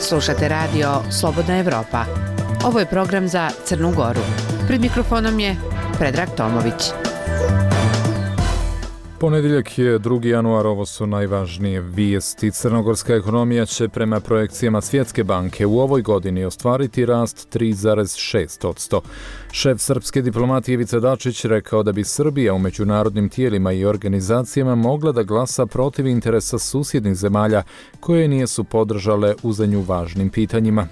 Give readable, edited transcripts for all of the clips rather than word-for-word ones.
Slušate radio Slobodna Evropa. Ovo je program za Crnu Goru. Pred mikrofonom je Predrag Tomović. Ponedjeljak je 2. januar, ovo su najvažnije vijesti. Crnogorska ekonomija će prema projekcijama Svjetske banke u ovoj godini ostvariti rast 3,6%. Šef srpske diplomatije Ivica Dačić rekao da bi Srbija u međunarodnim tijelima i organizacijama mogla da glasa protiv interesa susjednih zemalja koje nisu podržale u za nju važnim pitanjima.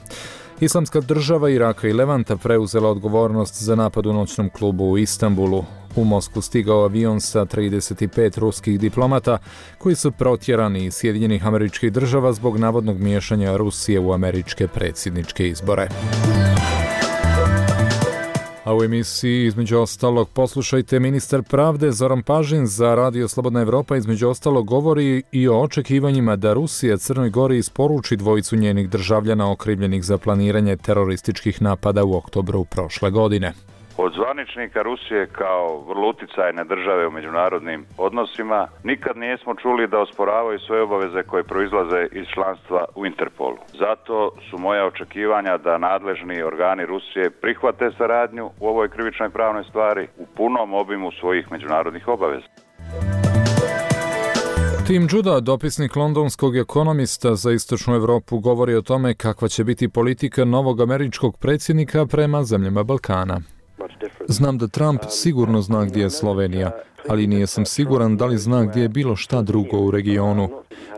Islamska država Iraka i Levanta preuzela odgovornost za napad u noćnom klubu u Istanbulu. U Moskvu stigao avion sa 35 ruskih diplomata koji su protjerani iz Sjedinjenih Američkih Država zbog navodnog miješanja Rusije u američke predsjedničke izbore. A u emisiji između ostalog poslušajte, ministar pravde Zoran Pažin za radio Slobodna Evropa između ostalog govori i o očekivanjima da Rusija Crnoj Gori isporuči dvojicu njenih državljana okrivljenih za planiranje terorističkih napada u oktobru prošle godine. Od zvaničnika Rusije kao vrlo uticajne države u međunarodnim odnosima nikad nismo čuli da osporavaju svoje obaveze koje proizlaze iz članstva u Interpolu. Zato su moja očekivanja da nadležni organi Rusije prihvate saradnju u ovoj krivičnoj pravnoj stvari u punom obimu svojih međunarodnih obaveza. Tim Judah, dopisnik londonskog ekonomista za istočnu Evropu, govori o tome kakva će biti politika novog američkog predsjednika prema zemljama Balkana. Znam da Trump sigurno zna gdje je Slovenija, ali nije sam siguran da li zna gdje je bilo šta drugo u regionu.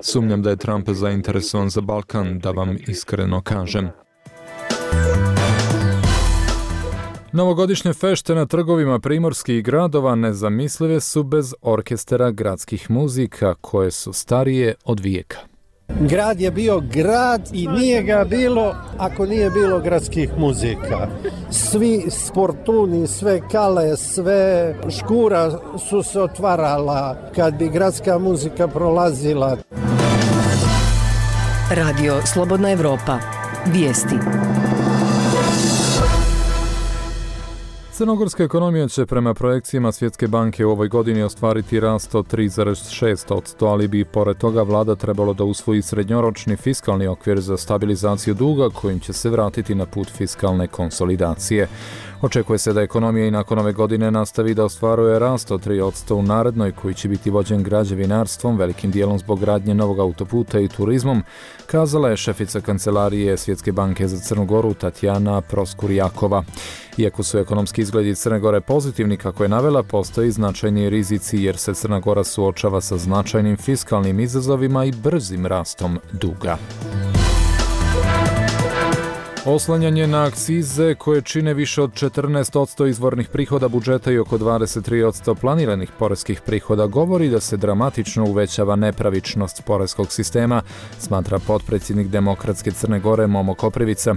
Sumnjam da je Trump zainteresovan za Balkan, da vam iskreno kažem. Novogodišnje fešte na trgovima primorskih gradova nezamislive su bez orkestara gradskih muzika koje su starije od vijeka. Grad je bio grad i nije ga bilo ako nije bilo gradskih muzika. Svi sportuni, sve kale, sve škura su se otvarala kad bi gradska muzika prolazila. Radio Slobodna Evropa. Vijesti. Crnogorska ekonomija će prema projekcijama Svjetske banke u ovoj godini ostvariti rast od 3,6%, ali bi pored toga vlada trebalo da usvoji srednjoročni fiskalni okvir za stabilizaciju duga kojim će se vratiti na put fiskalne konsolidacije. Očekuje se da ekonomija i nakon ove godine nastavi da ostvaruje rast od 3% u narednoj, koji će biti vođen građevinarstvom, velikim dijelom zbog gradnje novog autoputa i turizmom, kazala je šefica kancelarije Svjetske banke za Crnu Goru Tatjana Proskurjakova. Iako su ekonomski izgledi Crne Gore pozitivni, kako je navela, postoji značajni rizici jer se Crna Gora suočava sa značajnim fiskalnim izazovima i brzim rastom duga. Oslanjanje na akcize koje čine više od 14% izvornih prihoda budžeta i oko 23% planiranih poreskih prihoda govori da se dramatično uvećava nepravičnost poreskog sistema, smatra potpredsjednik Demokratske Crne Gore Momo Koprivica.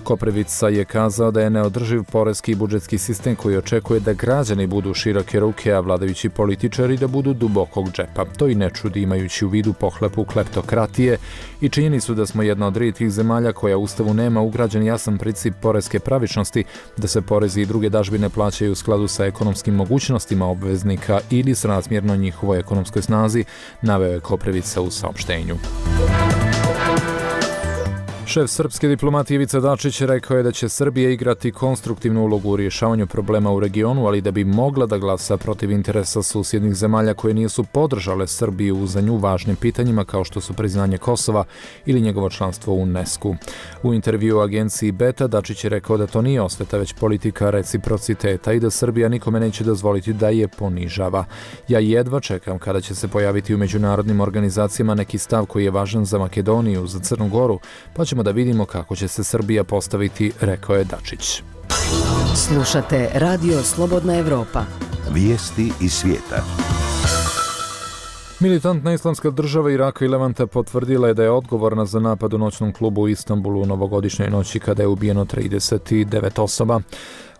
Koprivica je kazao da je neodrživ poreski i budžetski sistem koji očekuje da građani budu široke ruke, a vladajući političari da budu dubokog džepa. To i ne čudi imajući u vidu pohlepu kleptokratije i činjenicu da smo jedna od rijetkih zemalja koja u Ustavu nema ugrađen jasan princip poreske pravičnosti, da se porezi i druge dažbine plaćaju u skladu sa ekonomskim mogućnostima obveznika ili srazmjerno njihovoj ekonomskoj snazi, naveo je Koprivica u saopštenju. Šef srpske diplomatije Ivica Dačić rekao je da će Srbija igrati konstruktivnu ulogu u rješavanju problema u regionu, ali da bi mogla da glasa protiv interesa susjednih zemalja koje nisu podržale Srbiju u za nju važnim pitanjima kao što su priznanje Kosova ili njegovo članstvo u UNESCO. U intervju agenciji Beta Dačić je rekao da to nije osveta već politika reciprociteta i da Srbija nikome neće dozvoliti da je ponižava. Ja jedva čekam kada će se pojaviti u međunarodnim organizacijama neki stav koji je važan za Makedoniju, za Crnu Goru, pa ćemo da vidimo kako će se Srbija postaviti, rekao je Dačić. Slušate Radio Slobodna Evropa. Vijesti iz svijeta. Militantna islamska država Iraka i Levanta potvrdila je da je odgovorna za napad u noćnom klubu u Istanbulu u novogodišnjoj noći kada je ubijeno 39 osoba.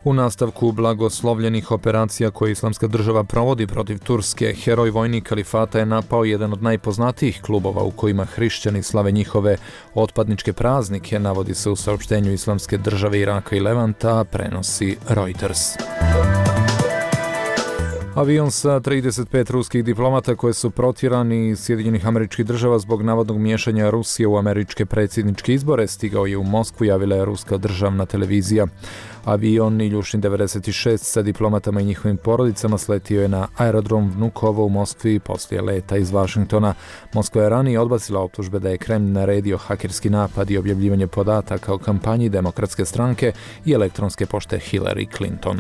U nastavku blagoslovljenih operacija koje Islamska država provodi protiv Turske, heroj vojnik kalifata je napao jedan od najpoznatijih klubova u kojima hrišćani slave njihove otpadničke praznike, navodi se u saopštenju Islamske države Iraka i Levanta, prenosi Reuters. Avion sa 35 ruskih diplomata koje su protjerani iz Sjedinjenih Američkih Država zbog navodnog miješanja Rusije u američke predsjedničke izbore stigao je u Moskvu, javila je ruska državna televizija. Avion Iljušin 96 sa diplomatama i njihovim porodicama sletio je na aerodrom Vnukovo u Moskvi poslije leta iz Vašingtona. Moskva je ranije odbacila optužbe da je Kremlj naredio hakerski napad i objavljivanje podataka o kampanji Demokratske stranke i elektronske pošte Hillary Clinton.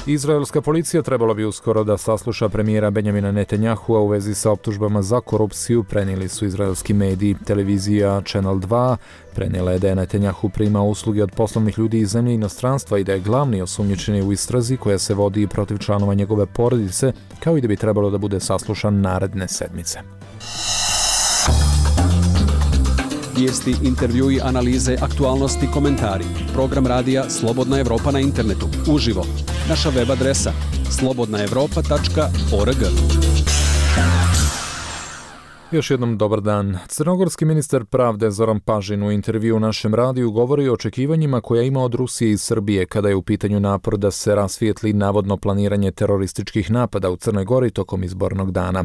Izraelska policija trebalo bi uskoro da sasluša premijera Benjamina Netanjahua u vezi sa optužbama za korupciju, prenijeli su izraelski mediji. Televizija Channel 2 prenijela je da je Netanjahu primao usluge od poslovnih ljudi iz zemlje i inostranstva i da je glavni osumnjičeni u istrazi koja se vodi protiv članova njegove porodice, kao i da bi trebalo da bude saslušan naredne sedmice. Vijesti, intervjui, analize, aktualnosti, komentari. Program radija Slobodna Evropa na internetu. Uživo. Naša web adresa slobodnaevropa.org. Još jednom dobar dan. Crnogorski ministar pravde Zoran Pažin u intervju u našem radiju govori o očekivanjima koja ima od Rusije i Srbije kada je u pitanju napor da se rasvijetli navodno planiranje terorističkih napada u Crnoj Gori tokom izbornog dana.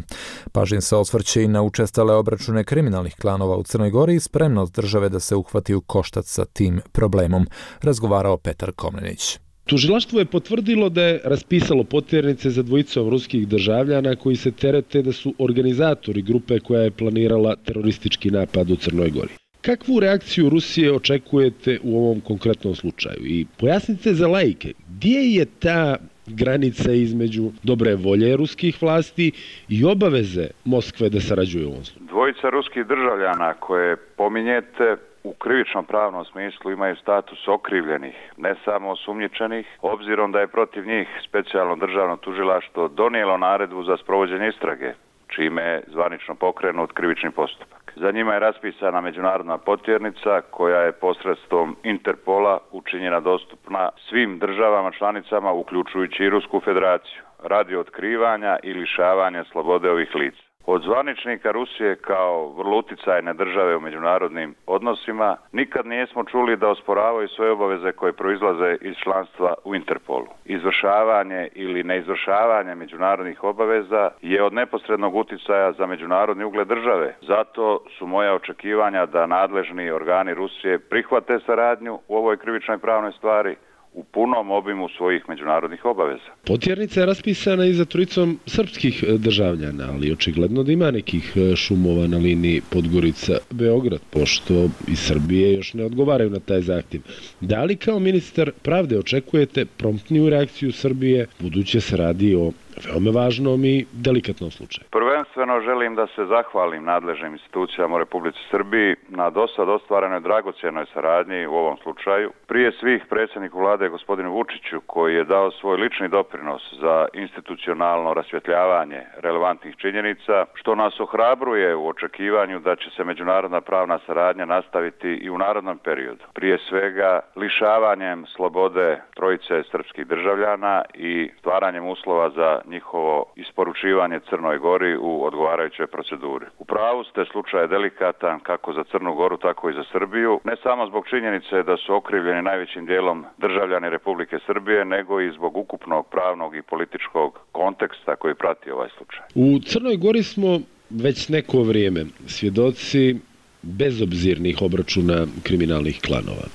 Pažin se osvrće i na učestale obračune kriminalnih klanova u Crnoj Gori i spremnost države da se uhvati u koštac sa tim problemom, razgovarao Petar Komnenić. Tužilaštvo je potvrdilo da je raspisalo potjernice za dvojicom ruskih državljana koji se terete da su organizatori grupe koja je planirala teroristički napad u Crnoj Gori. Kakvu reakciju Rusije očekujete u ovom konkretnom slučaju? I pojasnite za laike, gdje je ta granica između dobre volje ruskih vlasti i obaveze Moskve da sarađuje u ovom slučaju? Dvojica ruskih državljana koje pominjete u krivičnom pravnom smislu imaju status okrivljenih, ne samo osumnjičenih, obzirom da je protiv njih specijalno državno tužilaštvo donijelo naredbu za sprovođenje istrage, čime je zvanično pokrenut krivični postupak. Za njima je raspisana međunarodna potjernica koja je posredstvom Interpola učinjena dostupna svim državama članicama, uključujući i Rusku federaciju, radi otkrivanja i lišavanja slobode ovih lica. Od zvaničnika Rusije kao vrlo uticajne države u međunarodnim odnosima nikad nismo čuli da osporavaju svoje obaveze koje proizlaze iz članstva u Interpolu. Izvršavanje ili neizvršavanje međunarodnih obaveza je od neposrednog uticaja za međunarodni ugled države. Zato su moja očekivanja da nadležni organi Rusije prihvate saradnju u ovoj krivičnoj pravnoj stvari u punom obimu svojih međunarodnih obaveza. Potjernica je raspisana i za trojicom srpskih državljana, ali očigledno da ima nekih šumova na liniji Podgorica-Beograd, pošto i Srbije još ne odgovaraju na taj zahtjev. Da li kao ministar pravde očekujete promptniju reakciju Srbije, budući se radi o veoma važnom i delikatnom slučaju? Prvenstveno želim da se zahvalim nadležnim institucijama u Republici Srbiji na dosad ostvarenoj dragocjenoj saradnji u ovom slučaju. Prije svih predsjedniku vlade gospodinu Vučiću koji je dao svoj lični doprinos za institucionalno rasvjetljavanje relevantnih činjenica, što nas ohrabruje u očekivanju da će se međunarodna pravna saradnja nastaviti i u narednom periodu. Prije svega lišavanjem slobode trojice srpskih državljana i stvaranjem uslova za njihovo isporučivanje Crnoj Gori u odgovarajućoj proceduri. U pravu ste, slučaj je delikatan kako za Crnu Goru, tako i za Srbiju, ne samo zbog činjenice da su okrivljeni najvećim dijelom državljani Republike Srbije, nego i zbog ukupnog pravnog i političkog konteksta koji prati ovaj slučaj. U Crnoj Gori smo već neko vrijeme svjedoci bezobzirnih obračuna kriminalnih klanova.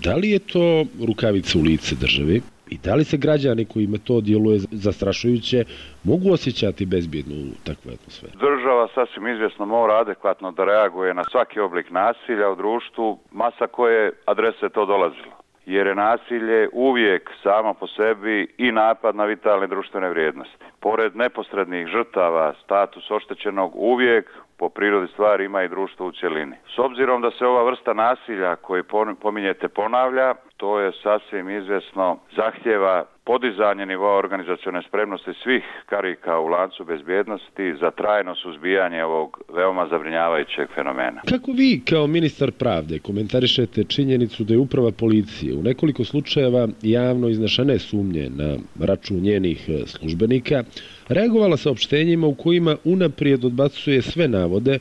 Da li je to rukavica u lice državi? I da li se građani kojima to djeluje zastrašujuće mogu osjećati bezbjedno u takvoj atmosferi? Država sasvim izvjesno mora adekvatno da reaguje na svaki oblik nasilja u društvu, masa koje adrese to dolazilo. Jer je nasilje uvijek samo po sebi i napad na vitalne društvene vrijednosti. Pored neposrednih žrtava, status oštećenog uvijek po prirodi stvari ima i društvo u cjelini. S obzirom da se ova vrsta nasilja koju pominjete ponavlja, to je sasvim izvjesno zahtjeva podizanje nivoa organizacione spremnosti svih karika u lancu bezbjednosti za trajno suzbijanje ovog veoma zabrinjavajućeg fenomena. Kako vi kao ministar pravde komentarišete činjenicu da je uprava policije u nekoliko slučajeva javno iznešene sumnje na račun njenih službenika reagovala saopštenjima u kojima unaprijed odbacuje sve navode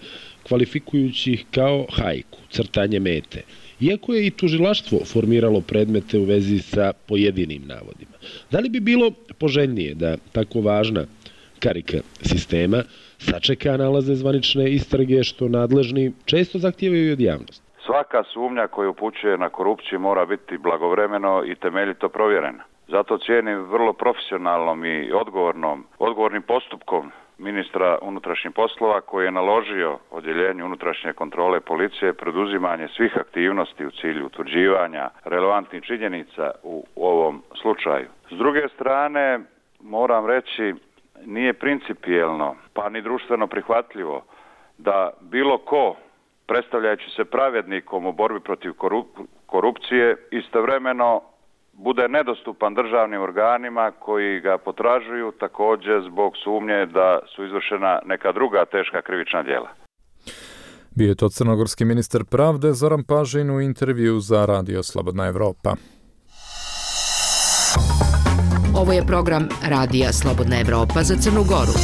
kvalifikujući ih kao hajku, crtanje mete iako je i tužilaštvo formiralo predmete u vezi sa pojedinim navodima. Da li bi bilo poželjnije da tako važna karika sistema sačeka nalaze zvanične istrage što nadležni često zahtijevaju od javnosti? Svaka sumnja koja upućuje na korupciju mora biti blagovremeno i temeljito provjerena. Zato cijenim vrlo profesionalnom i odgovornim postupkom ministra unutrašnjih poslova koji je naložio odjeljenju unutrašnje kontrole policije preduzimanje svih aktivnosti u cilju utvrđivanja relevantnih činjenica u ovom slučaju. S druge strane, moram reći, nije principijelno pa ni društveno prihvatljivo da bilo ko, predstavljajući se pravednikom u borbi protiv korupcije, istovremeno bude nedostupan državnim organima koji ga potražuju također zbog sumnje da su izvršena neka druga teška krivična djela. Bio je to crnogorski ministar pravde Zoran Pažin u intervju za Radio Slobodna Evropa. Ovo je program Radija Slobodna Evropa za Crnu Goru.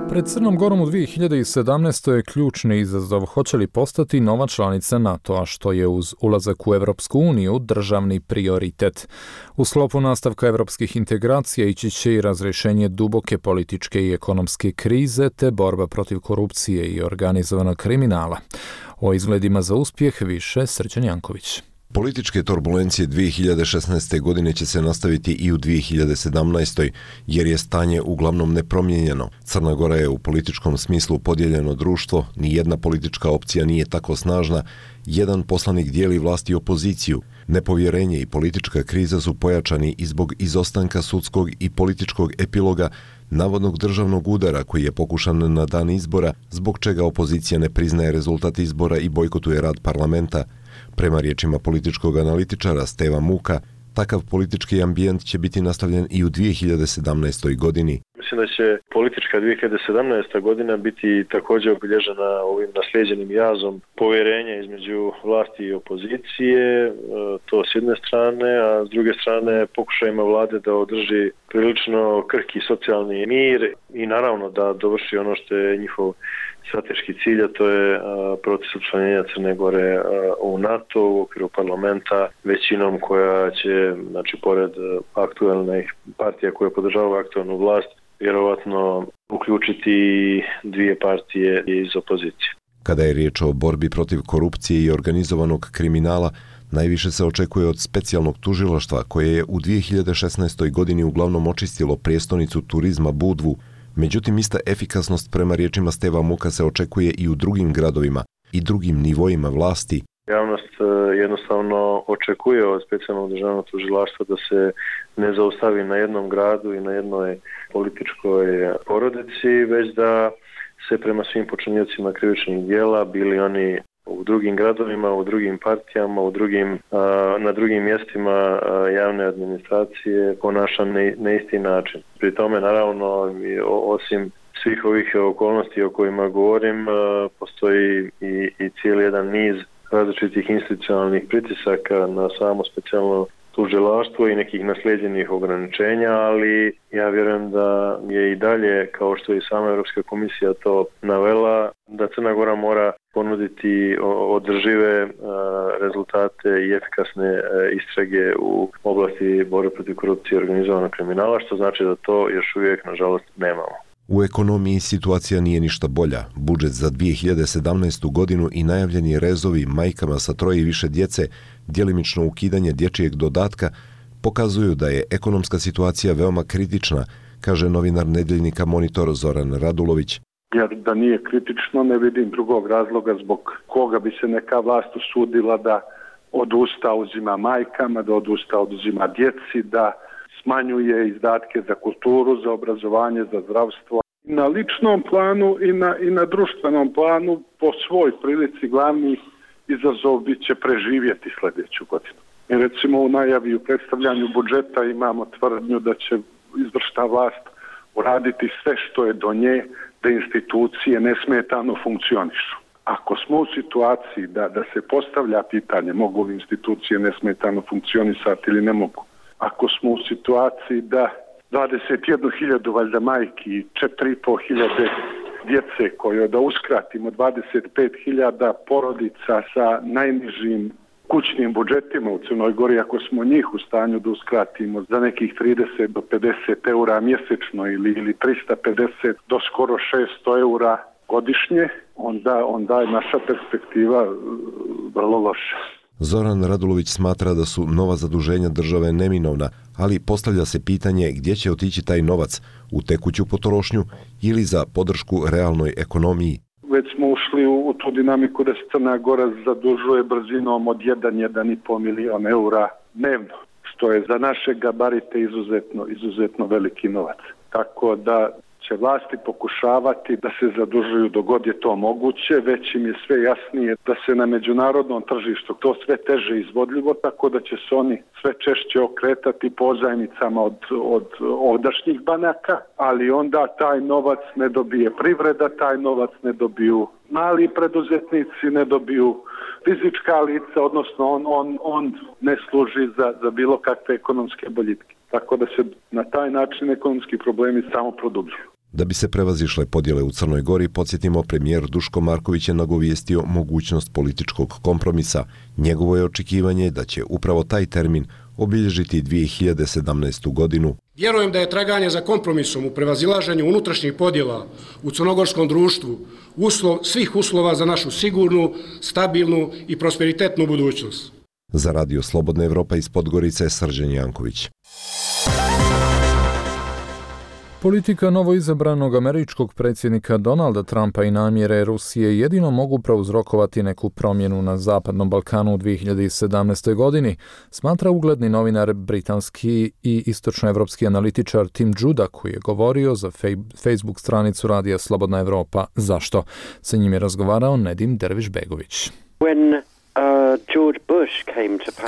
Pred Crnom Gorom u 2017. je ključni izazov hoće li postati nova članica NATO-a, što je uz ulazak u Evropsku uniju državni prioritet. U sklopu nastavka evropskih integracija ići će i razrješenje duboke političke i ekonomske krize te borba protiv korupcije i organizovanog kriminala. O izgledima za uspjeh više Srđan Janković. Političke turbulencije 2016. godine će se nastaviti i u 2017. jer je stanje uglavnom nepromijenjeno. Crna Gora je u političkom smislu podijeljeno društvo, ni jedna politička opcija nije tako snažna, jedan poslanik dijeli vlast i opoziciju. Nepovjerenje i politička kriza su pojačani i zbog izostanka sudskog i političkog epiloga navodnog državnog udara koji je pokušan na dan izbora, zbog čega opozicija ne priznaje rezultat izbora i bojkotuje rad parlamenta. Prema riječima političkog analitičara Steva Muka, takav politički ambijent će biti nastavljen i u 2017. godini. Mislim da će politička 2017. godina biti također obilježena ovim naslijeđenim jazom povjerenja između vlasti i opozicije, to s jedne strane, a s druge strane pokušajima vlade da održi prilično krhki socijalni mir i naravno da dovrši ono što je njihov strateški cilj, a to je proces učlanjenja Crne Gore u NATO u okviru parlamenta većinom koja će, znači pored aktualnih partija koje podržavaju aktualnu vlast, vjerovatno uključiti dvije partije iz opozicije. Kada je riječ o borbi protiv korupcije i organizovanog kriminala, najviše se očekuje od specijalnog tužilaštva koje je u 2016. godini uglavnom očistilo prijestolnicu turizma Budvu. Međutim, ista efikasnost prema riječima Steva Muka se očekuje i u drugim gradovima i drugim nivoima vlasti. Javnost jednostavno očekuje od specijalnog državnog tužilaštva da se ne zaustavi na jednom gradu i na jednoj političkoj porodici, već da se prema svim počiniocima krivičnih djela, bili oni u drugim gradovima, u drugim partijama, na drugim mjestima javne administracije ponaša na isti način. Pri tome, naravno, osim svih ovih okolnosti o kojima govorim, postoji i cijeli jedan niz različitih institucionalnih pritisaka na samo specijalno tužilaštvo i nekih naslijeđenih ograničenja, ali ja vjerujem da je i dalje, kao što je i sama Europska komisija to navela, da Crna Gora mora ponuditi održive rezultate i efikasne istrage u oblasti borbe protiv korupcije i organizovanog kriminala, što znači da to još uvijek, nažalost, nemamo. U ekonomiji situacija nije ništa bolja. Budžet za 2017. godinu i najavljeni rezovi majkama sa 3 i više djece, djelimično ukidanje dječjeg dodatka, pokazuju da je ekonomska situacija veoma kritična, kaže novinar nedeljnika Monitor Zoran Radulović. Jer da nije kritično, ne vidim drugog razloga zbog koga bi se neka vlast usudila da odusta uzima majkama, da odusta oduzima djeci, da smanjuje izdatke za kulturu, za obrazovanje, za zdravstvo. Na ličnom planu i na društvenom planu po svoj prilici glavni izazov bit će preživjeti sljedeću godinu. I recimo u najavi u predstavljanju budžeta imamo tvrdnju da će izvršna vlast uraditi sve što je do nje da institucije nesmetano funkcionišu. Ako smo u situaciji da se postavlja pitanje mogu li institucije nesmetano funkcionisati ili ne mogu, ako smo u situaciji da 21.000 valjda majki, 4.500 djece koje da uskratimo 25.000 porodica sa najnižim kućnim budžetima u Crnoj Gori, ako smo njih u stanju da uskratimo za nekih 30 do 50 eura mjesečno ili 350 do skoro 600 eura godišnje, onda je naša perspektiva vrlo loša. Zoran Radulović smatra da su nova zaduženja države neminovna, ali postavlja se pitanje gdje će otići taj novac, u tekuću potrošnju ili za podršku realnoj ekonomiji. Već smo ušli u tu dinamiku da se Crna Gora zadužuje brzinom od 1,5 milion eura dnevno, što je za naše gabarite izuzetno veliki novac. Tako da će vlasti pokušavati da se zadužuju dok god je to moguće, već im je sve jasnije da se na međunarodnom tržištu to sve teže izvodljivo, tako da će se oni sve češće okretati pozajmicama od ovdašnjih banaka, ali onda taj novac ne dobije privreda, taj novac ne dobiju mali preduzetnici, ne dobiju fizička lica, odnosno on ne služi za bilo kakve ekonomske boljitke. Tako da se na taj način ekonomski problemi samo produbljuju. Da bi se prevazišle podjele u Crnoj Gori, podsjetimo, premijer Duško Marković je nagovijestio mogućnost političkog kompromisa. Njegovo je očekivanje da će upravo taj termin obilježiti 2017. godinu. Vjerujem da je traganje za kompromisom u prevazilaženju unutrašnjih podjela u crnogorskom društvu uslov svih uslova za našu sigurnu, stabilnu i prosperitetnu budućnost. Za Radio Slobodna Evropa iz Podgorice, Srđan Janković. Politika novoizabranog američkog predsjednika Donalda Trumpa i namjere Rusije jedino mogu prouzrokovati neku promjenu na Zapadnom Balkanu u 2017. godini, smatra ugledni novinar britanski i istočnoevropski analitičar Tim Judah, koji je govorio za Facebook stranicu Radija Slobodna Evropa. Zašto? Sa njim je razgovarao Nedim Derviš-Begović.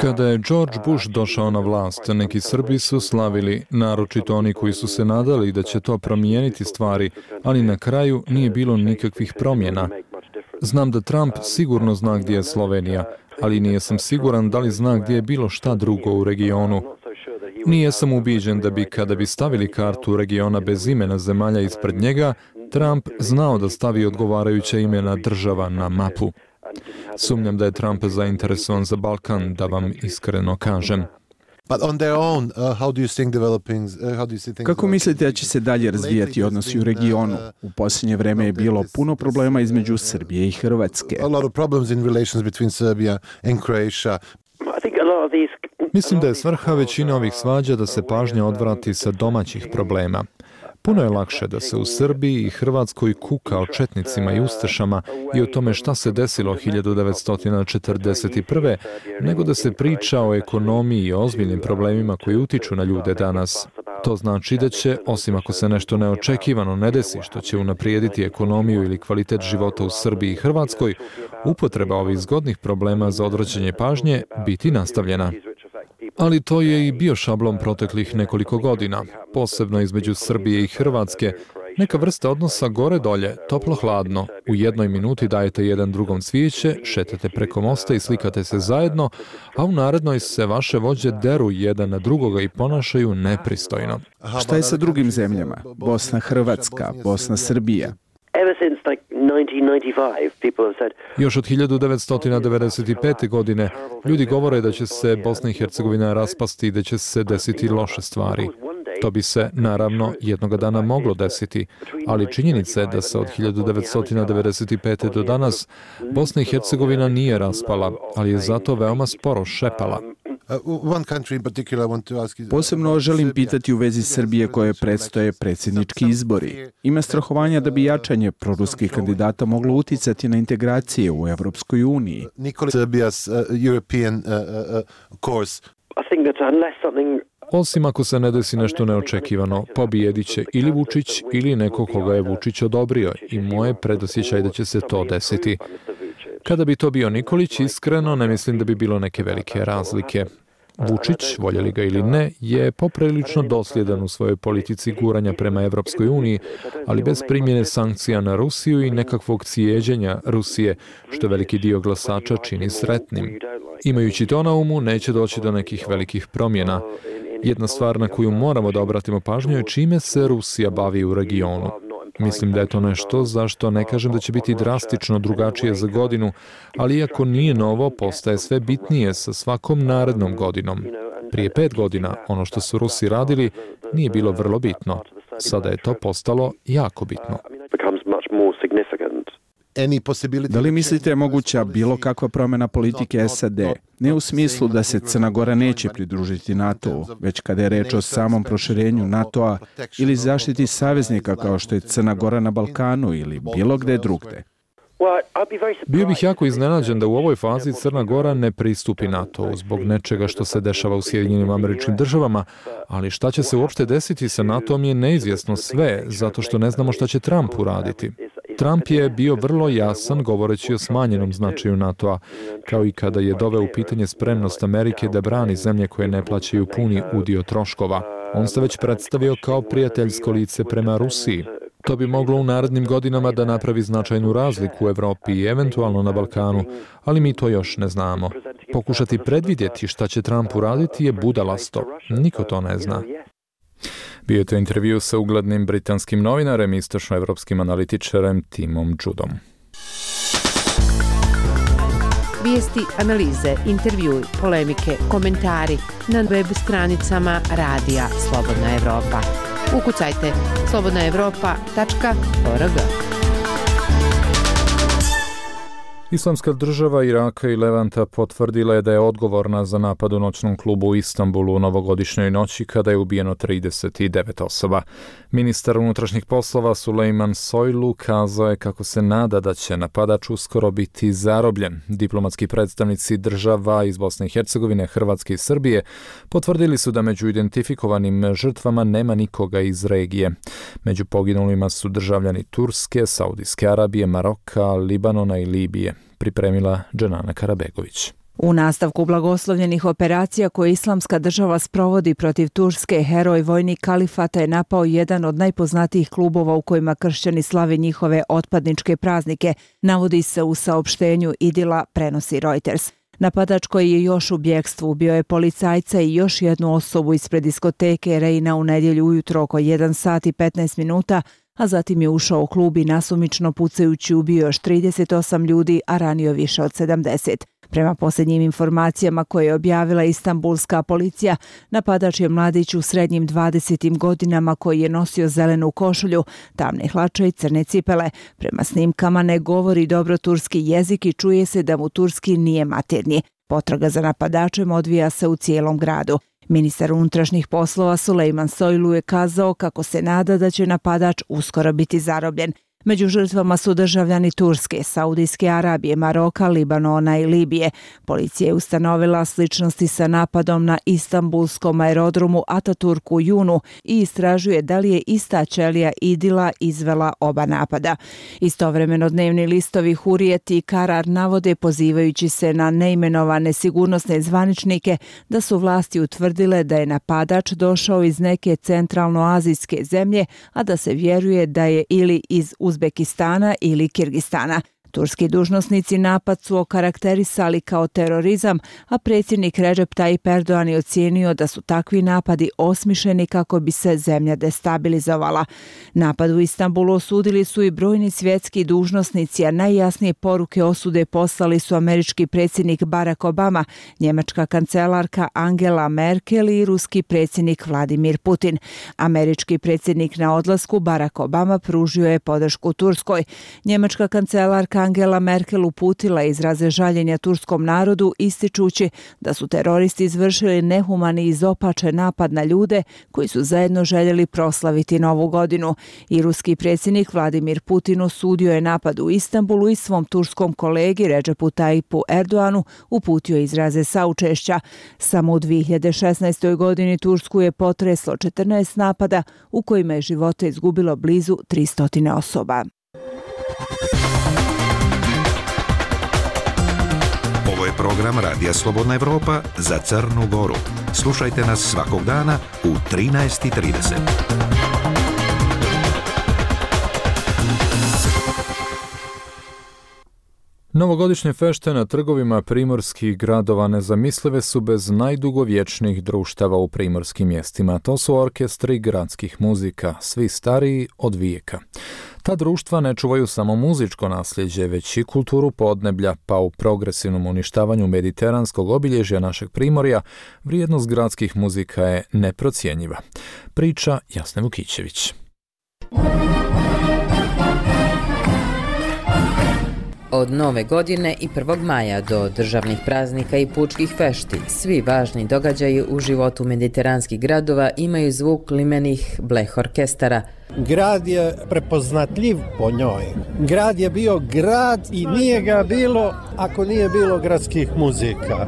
Kada je George Bush došao na vlast, neki Srbi su slavili, naročito oni koji su se nadali da će to promijeniti stvari, ali na kraju nije bilo nikakvih promjena. Znam da Trump sigurno zna gdje je Slovenija, ali nije sam siguran da li zna gdje je bilo šta drugo u regionu. Nije sam ubiđen da bi, kada bi stavili kartu regiona bez imena zemalja ispred njega, Trump znao da stavi odgovarajuća imena država na mapu. Sumnjam da je Trump zainteresovan za Balkan, da vam iskreno kažem. Kako mislite da će se dalje razvijati odnosi u regionu? U posljednje vrijeme je bilo puno problema između Srbije i Hrvatske. Mislim da je svrha većine ovih svađa da se pažnja odvrati sa domaćih problema. Puno je lakše da se u Srbiji i Hrvatskoj kuka o četnicima i ustašama i o tome šta se desilo 1941. nego da se priča o ekonomiji i ozbiljnim problemima koji utiču na ljude danas. To znači da će, osim ako se nešto neočekivano ne desi što će unaprijediti ekonomiju ili kvalitet života u Srbiji i Hrvatskoj, upotreba ovih zgodnih problema za odvraćanje pažnje biti nastavljena. Ali to je i bio šablon proteklih nekoliko godina, posebno između Srbije i Hrvatske. Neka vrsta odnosa gore-dolje, toplo-hladno. U jednoj minuti dajete jedan drugom cvijeće, šetate preko mosta i slikate se zajedno, a u narednoj se vaše vođe deru jedan na drugoga i ponašaju nepristojno. Šta je sa drugim zemljama? Bosna, Hrvatska, Bosna, Srbija. Još od 1995. godine ljudi govore da će se Bosna i Hercegovina raspasti i da će se desiti loše stvari. To bi se, naravno, jednoga dana moglo desiti, ali činjenica je da se od 1995. do danas Bosna i Hercegovina nije raspala, ali je zato veoma sporo šepala. Posebno želim pitati u vezi Srbije koje predstoje predsjednički izbori. Ima strahovanja da bi jačanje proruskih kandidata moglo uticati na integracije u Evropskoj uniji. Osim ako se ne desi nešto neočekivano, pobijedit će ili Vučić ili neko koga je Vučić odobrio i moje predosjećaj da će se to desiti. Kada bi to bio Nikolić, iskreno ne mislim da bi bilo neke velike razlike. Vučić, voljeli ga ili ne, je poprilično dosljedan u svojoj politici guranja prema Evropskoj uniji, ali bez primjene sankcija na Rusiju i nekakvog cijeđenja Rusije, što veliki dio glasača čini sretnim. Imajući to na umu, neće doći do nekih velikih promjena. Jedna stvar na koju moramo da obratimo pažnju je čime se Rusija bavi u regionu. Mislim da je to nešto zašto ne kažem da će biti drastično drugačije za godinu, ali iako nije novo, postaje sve bitnije sa svakom narednom godinom. Prije 5 godina ono što su Rusi radili nije bilo vrlo bitno. Sada je to postalo jako bitno. Da li mislite je moguća bilo kakva promjena politike SAD? Ne u smislu da se Crna Gora neće pridružiti NATO-u, već kada je reč o samom proširenju NATO-a ili zaštiti saveznika kao što je Crna Gora na Balkanu ili bilo gde drugde. Bio bih jako iznenađen da u ovoj fazi Crna Gora ne pristupi NATO-u zbog nečega što se dešava u Sjedinjenim Američkim Državama, ali šta će se uopšte desiti sa NATO-om je neizvjesno sve, zato što ne znamo šta će Trump uraditi. Trump je bio vrlo jasan govoreći o smanjenom značaju NATO-a, kao i kada je doveo u pitanje spremnost Amerike da brani zemlje koje ne plaćaju puni udio troškova. On se već predstavio kao prijateljsko lice prema Rusiji. To bi moglo u narednim godinama da napravi značajnu razliku u Evropi i eventualno na Balkanu, ali mi to još ne znamo. Pokušati predvidjeti šta će Trump uraditi je budalasto. Niko to ne zna. Bio je to intervju sa uglednim britanskim novinarem i istočnoevropskim analitičarem Timom Judom. Vijesti, analize, intervjui, polemike, komentari na web stranicama Radija Slobodna Evropa. Ukucajte slobodnaevropa.org. Islamska država Iraka i Levanta potvrdila je da je odgovorna za napad u noćnom klubu u Istanbulu u novogodišnjoj noći kada je ubijeno 39 osoba. Ministar unutrašnjih poslova Sulejman Soylu kazao je kako se nada da će napadač uskoro biti zarobljen. Diplomatski predstavnici država iz Bosne i Hercegovine, Hrvatske i Srbije potvrdili su da među identifikovanim žrtvama nema nikoga iz regije. Među poginulima su državljani Turske, Saudijske Arabije, Maroka, Libanona i Libije. Pripremila Dženana Karabegović. U nastavku blagoslovljenih operacija koje Islamska država sprovodi protiv Turske, heroj vojnik kalifata je napao jedan od najpoznatijih klubova u kojima kršćani slave njihove otpadničke praznike, navodi se u saopštenju Idila, prenosi Reuters. Napadač koji je još u bjekstvu ubio je policajca i još jednu osobu ispred diskoteke Reina u nedjelju ujutro oko 1 sat i 15 minuta, a zatim je ušao u klub i nasumično pucajući ubio još 38 ljudi, a ranio više od 70. Prema posljednjim informacijama koje je objavila istanbulska policija, napadač je mladić u srednjim 20. godinama koji je nosio zelenu košulju, tamne hlače i crne cipele. Prema snimkama ne govori dobro turski jezik i čuje se da mu turski nije maternji. Potraga za napadačem odvija se u cijelom gradu. Ministar unutrašnjih poslova Sulejman Soylu je kazao kako se nada da će napadač uskoro biti zarobljen. Među žrtvama su državljani Turske, Saudijske Arabije, Maroka, Libanona i Libije. Policija je ustanovila sličnosti sa napadom na istanbulskom aerodromu Ataturk u junu i istražuje da li je ista ćelija Idila izvela oba napada. Istovremeno dnevni listovi Hurijet i Karar navode, pozivajući se na neimenovane sigurnosne zvaničnike, da su vlasti utvrdile da je napadač došao iz neke centralnoazijske zemlje, a da se vjeruje da je ili iz Uzbekistana ili Kirgistana. Turski dužnosnici napad su okarakterisali kao terorizam, a predsjednik Recep Tayyip Erdogan je ocijenio da su takvi napadi osmišljeni kako bi se zemlja destabilizovala. Napad u Istanbulu osudili su i brojni svjetski dužnosnici, a najjasnije poruke osude poslali su američki predsjednik Barack Obama, njemačka kancelarka Angela Merkel i ruski predsjednik Vladimir Putin. Američki predsjednik na odlasku Barack Obama pružio je podršku Turskoj. Njemačka kancelarka Angela Merkel uputila izraze žaljenja turskom narodu, ističući da su teroristi izvršili nehumani i izopačen napad na ljude koji su zajedno željeli proslaviti Novu godinu. I ruski predsjednik Vladimir Putin osudio je napad u Istanbulu i svom turskom kolegi Recepu Tayyipu Erdoganu uputio izraze saučešća. Samo u 2016. godini Tursku je potreslo 14 napada u kojima je živote izgubilo blizu 300 osoba. Ovo je program Radija Slobodna Evropa za Crnu Goru. Slušajte nas svakog dana u 13:30. Novogodišnje fešte na trgovima primorskih gradova nezamislive su bez najdugovječnijih društava u primorskim mjestima. To su orkestri gradskih muzika, svi stariji od vijeka. Ta društva ne čuvaju samo muzičko nasljeđe, već i kulturu podneblja, pa u progresivnom uništavanju mediteranskog obilježja našeg primorja vrijednost gradskih muzika je neprocjenjiva. Priča Jasne Vukićević. Od Nove godine i 1. maja do državnih praznika i pučkih fešti, svi važni događaji u životu mediteranskih gradova imaju zvuk limenih bleh orkestara. Grad je prepoznatljiv po njoj. Grad je bio grad i nije ga bilo ako nije bilo gradskih muzika.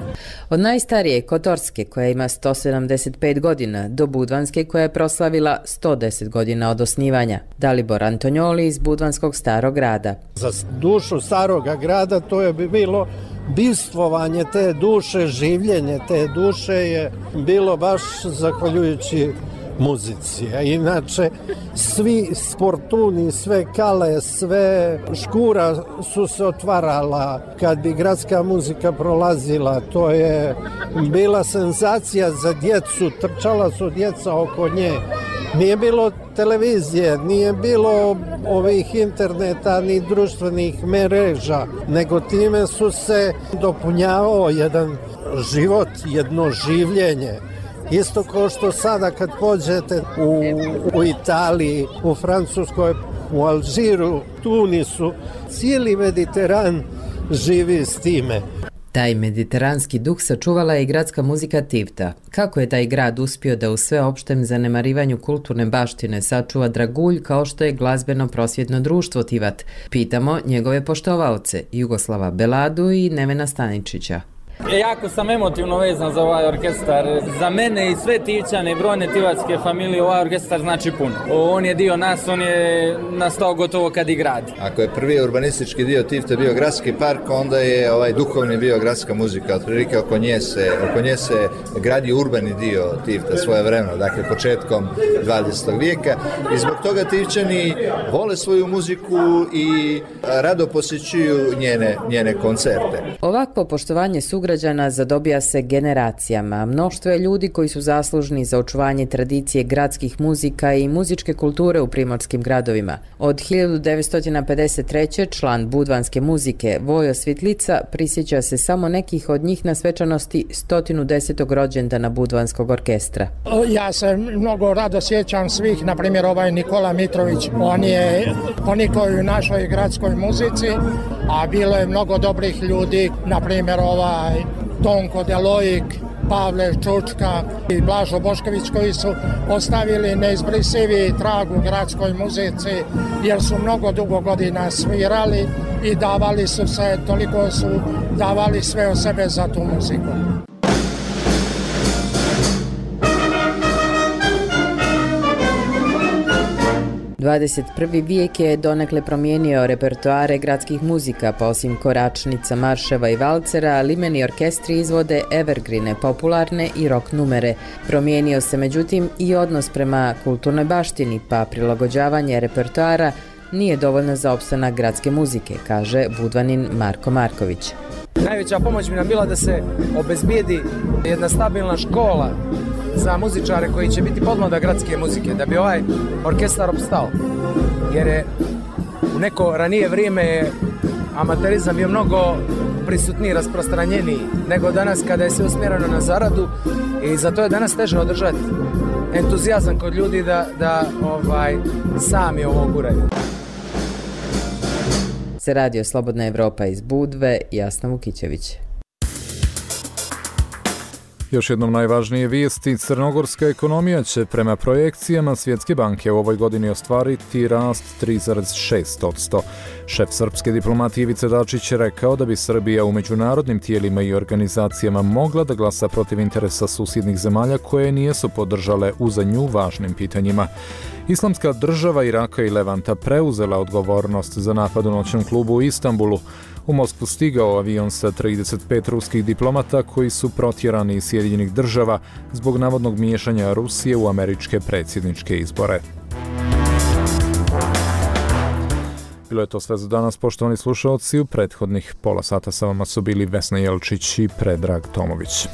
Od najstarije Kotorske, koja ima 175 godina, do Budvanske, koja je proslavila 110 godina od osnivanja. Dalibor Antonjoli iz Budvanskog starog grada. Za dušu staroga grada to je bilo bivstvovanje te duše, življenje te duše je bilo baš zahvaljujući muzici. A inače, svi sportuni, sve kale, sve škura su se otvarala kad bi gradska muzika prolazila. To je bila senzacija za djecu, trčala su djeca oko nje. Nije bilo televizije, nije bilo ovih interneta ni društvenih mreža, nego time su se dopunjavao jedan život, jedno življenje. Isto kao što sada kad pođete u Italiji, u Francuskoj, u Alžiru, Tunisu, cijeli Mediteran živi s time. Taj mediteranski duh sačuvala je i gradska muzika Tivta. Kako je taj grad uspio da u sveopštem zanemarivanju kulturne baštine sačuva dragulj kao što je glazbeno prosvjetno društvo Tivat? Pitamo njegove poštovaoce, Jugoslava Beladu i Nevena Staničića. Jako sam emotivno vezan za ovaj orkestar. Za mene i sve Tivčane i brojne tivatske familije ovaj orkestar znači puno. On je dio nas, on je nastao gotovo kad i grad. Ako je prvi urbanistički dio Tivte bio gradski park, onda je ovaj duhovni bio gradska muzika. Otprilike oko nje se gradi urbani dio Tivta svojevremeno, dakle početkom 20. vijeka. I zbog toga Tivčani vole svoju muziku i rado posjećuju njene koncerte. Ovakvo poštovanje sugrađana zadobija se generacijama. Mnoštvo je ljudi koji su zaslužni za očuvanje tradicije gradskih muzika i muzičke kulture u primorskim gradovima. Od 1953. član budvanske muzike Vojo Svitlica prisjeća se samo nekih od njih na svečanosti 110. rođendana Budvanskog orkestra. Ja se mnogo rado sjećam svih, na primjer ovaj Nikola Mitrović, on je koji u našoj gradskoj muzici, a bilo je mnogo dobrih ljudi, na primjer Tonko Delojik, Pavle Čučka i Blažo Bošković, koji su ostavili neizbrisivi trag u gradskoj muzici jer su mnogo dugo godina svirali i toliko su davali sve od sebe za tu muziku. 21. vijek je donekle promijenio repertoare gradskih muzika, pa osim koračnica, marševa i valcera, limeni orkestri izvode evergrine, popularne i rock numere. Promijenio se međutim i odnos prema kulturnoj baštini, pa prilagođavanje repertoara nije dovoljno za opstanak gradske muzike, kaže Budvanin Marko Marković. Najveća pomoć bi nam bila da se obezbijedi jedna stabilna škola za muzičare koji će biti podmladak gradske muzike, da bi ovaj orkestar opstao. Jer je u neko ranije vrijeme amaterizam bio mnogo prisutniji, rasprostranjeniji nego danas kada je sve usmjereno na zaradu i zato je danas teže održati entuzijazam kod ljudi da sami ovo guraju. Se radio Slobodna Evropa iz Budve, Jasna Vukićević. Još jednom najvažnije vijesti, crnogorska ekonomija će prema projekcijama Svjetske banke u ovoj godini ostvariti rast 3,6%. Šef srpske diplomatije Ivica Dačić je rekao da bi Srbija u međunarodnim tijelima i organizacijama mogla da glasa protiv interesa susjednih zemalja koje nijesu podržale u za nju važnim pitanjima. Islamska država Iraka i Levanta preuzela odgovornost za napad u noćnom klubu u Istanbulu. U Moskvu stigao avion sa 35 ruskih diplomata koji su protjerani iz Sjedinjenih država zbog navodnog miješanja Rusije u američke predsjedničke izbore. Bilo je to sve za danas, poštovani slušaoci. U prethodnih pola sata sa vama su bili Vesna Jelčić i Predrag Tomović.